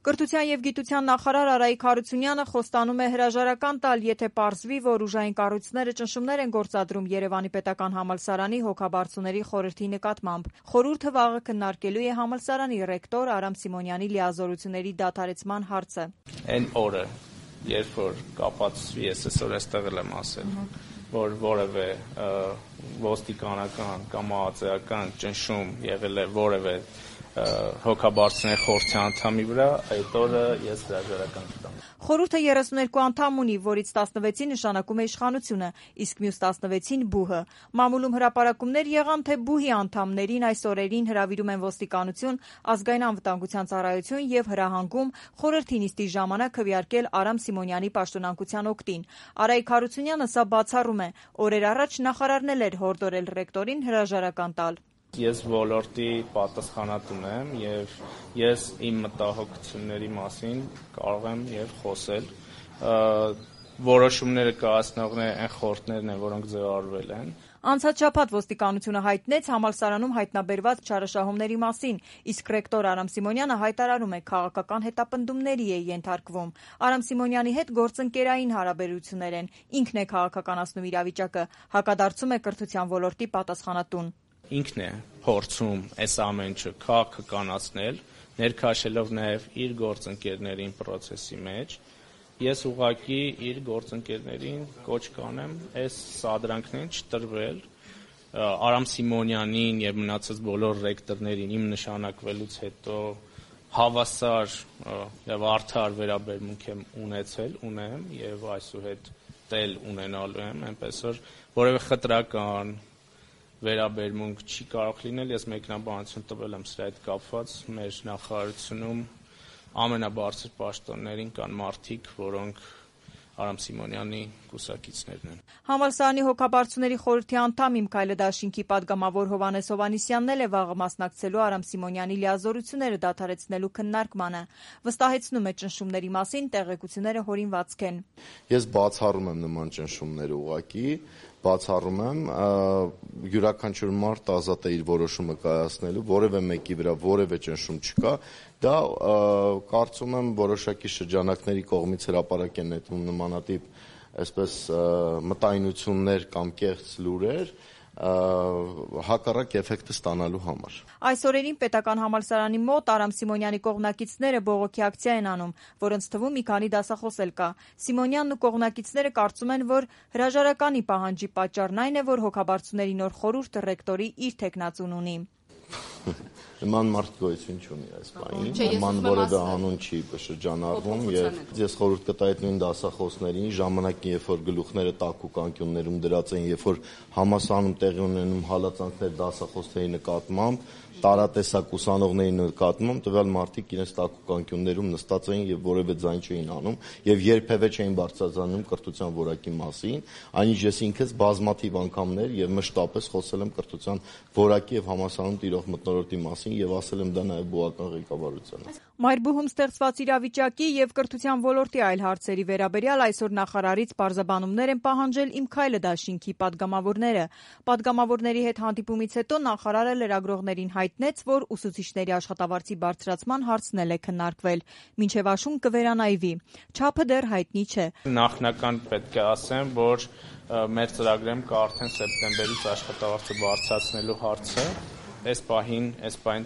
Կրթության և գիտության նախարար Արայիկ Հարությունյանը խոստանում է հրաժարական տալ, եթե պարզվի, որ ուժային կառույցները ճնշումներ են գործադրում Երևանի պետական համալսարանի հոգաբարձուների խորհրդի նկատմամբ։ Խորհուրդը վաղը քննարկելու է համալսարանի ռեկտոր Արամ Սիմոնյանի լիազորությունների դադարեցման հարցը։ Այն օրը, երբ որ կապացվի, ես այսօր այստեղ եմ ասել, որ որևէ ոստիկանական կամ ԱԱԾ-ական ճնշում եղել է որևէ հոգաբարձուների խորհրդի անդամի վրա, այդ օրը ես հրաժարական կտամ։ Խորհուրդը 32 անդամ ունի, որից 16-ին նշանակում է իշխանությունը, իսկ մյուս 16-ին ԲՈՒՀ-ը։ Մամուլում հրապարակումներ եղան, թե ԲՈՒՀ-ի անդամներին այս օրերին հրավիրում են ոստիկանություն, ազգային անվտանգության ծառայություն եւ հրահանգում խորհրդի նիստի ժամանակ քվեարկել Արամ Սիմոնյանի պաշտոնանկության օգտին։ Արայիկ Հարությունյանը սա բացառում է։ Օրեր առաջ նախարարն էլ էր հորդորել ռեկտորին հրաժարական տալ։ Ես ոլորտի պատասխանատուն եմ եւ ես իմ մտահոգությունների մասին կարող եմ եւ խոսել։ Որոշումները կայացնողները այն խորհուրդներն են, որոնք ձևավորվել են։ Անցած շաբաթ ոստիկանությունը հայտնեց համալսարանում հայտնաբերված չարաշահումների մասին, իսկ ռեկտոր Արամ Սիմոնյանը հայտարարում է, քաղաքական հետապնդումների է ենթարկվում։ Արամ Սիմոնյանի հետ գործընկերային հարաբերություններ են, ինքն է քաղաքականացնում իրավիճակը, հակադարձում է կրթության ոլորտի պատասխանատուն։ Ինքն է փորձում այս ամեն ինչը քաղաքականացնել, ներքաշելով նաև իր գործընկերներին process-ի մեջ։ Ես ուղղակի իր գործընկերներին կոչ կանեմ այս սադրանքներին չտրվել Արամ Սիմոնյանին եւ մնացած բոլոր ռեկտորներին իմ նշանակվելուց հետո հավասար եւ արդար վերաբերմունք եմ ունեմ եւ այսուհետ տել ունենալու եմ, այնպես որ որևէ խտրական վերաբերմունք չի կարող լինել, ես մեկնաբանություն տվել եմ սրա հետ կապված, մեր նախարարությունում ամենաբարձր պաշտոններին կան մարդիկ, որոնք Արամ Սիմոնյանի կուսակիցներն են։ Համալսարանի հոգաբարձուների խորհրդի անդամ Իմ Քայլը դաշինքի падգամավոր Հովհաննես Հովհաննիսյանն էլ է վաղը մասնակցելու Արամ Սիմոնյանի լիազորությունները դադարեցնելու քննարկմանը։ Վստահեցնում է ճնշումների մասին տեղեկությունները հորինվածք են։ Ես բացառում եմ նման ճնշումները ուղղակի, բացառում եմ, յուրաքանչյուր մարդ ազատ է իր որոշումը կայացնելու, որևէ մեկի վրա որևէ ճնշում չկա, դա կարծում եմ որոշակի շրջանակների կողմից հրապարակ են նետվում նմանատիպ այսպես մտայնություններ կամ կեղծ լուրեր, հակառակ էֆեկտը ստանալու համար։ Այս օրերին պետական համալսարանի մոտ Արամ Սիմոնյանի կողմնակիցները բողոքի ակցիա են անում, որոնց թվում մի քանի դասախոս էլ կա։ Սիմոնյանն ու կողմնակիցները կարծում են, որ հրաժարականի պահանջի պատճառն այն է, որ հոգաբարձուների նոր խորհուրդը ռեկտորի իր թեկնածուն ունի։ Նման մարդ գոյություն չունի այս բանին, նման որևէ անուն չի շրջանառվում եւ ես խորհուրդ կտայի նույն դասախոսներին ժամանակին, երբ որ գլուխները տակուկ անկյուններում դրած են, երբ որ համալսարանում տեղի ունենում հալածանքներ դասախոսների նկատմամբ, տարատեսակ ուսանողների նկատմամբ, տվյալ մարդիկ իրենց տակուկ անկյուններում նստած էին եւ որևէ ձայն չէին անում եւ երբեւե չէին բարձրացնում կրթության որակի մասին, այնինչ ես ինքս բազմաթիվ անգամներ եւ մշտապես խոսել եմ կրթության որակի եւ համալսարանում տիրող մթնոլորտի մասին եւ ասել եմ դա նաեւ բուհական ղեկավարությանը։ Մայրբուհում ստեղծված իրավիճակի եւ կրթության ոլորտի այլ հարցերի վերաբերյալ այսօր նախարարից պարզաբանումներ են պահանջել Իմ Քայլը դաշինքի падգամավորները։ Падգամավորների հետ հանդիպումից հետո նախարարը լրագրողներին հայտնեց, որ ուսուցիչների աշխատավարձի բարձրացման հարցն էլ է քննարկվել, մինչև աշուն կվերանայվի։ Չափը դեռ հայտնի չէ։ Նախնական պետք է ասեմ, որ մեր ծրագրում կա արդեն սեպտեմբերից աշխատավարձը բարձրացնելու հարցը։ Այս պահին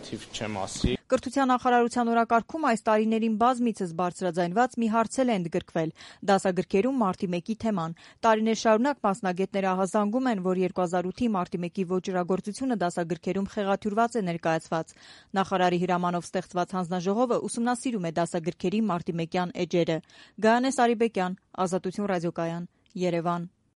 թիվ չեմ ասի։ Կրթության նախարարության օրակարգում այս տարիներին բազմիցս բարձրաձայնված մի հարց էլ է ընդգրկվել՝ դասագրքերում մարտի 1-ի թեման։ Տարիներ շարունակ մասնագետները ահազանգում են, որ 2008-ի մարտի 1-ի ոճրագործությունը դասագրքերում խեղաթյուրված է ներկայացված։ Նախարարի հրամանով ստեղծված հանձնաժողովը ուսումնասիրում է դասագրքերի մարտի 1-յան էջերը։ Գայանե Սարիբեկյան, Ազատություն ռադիոկայան, Երևան։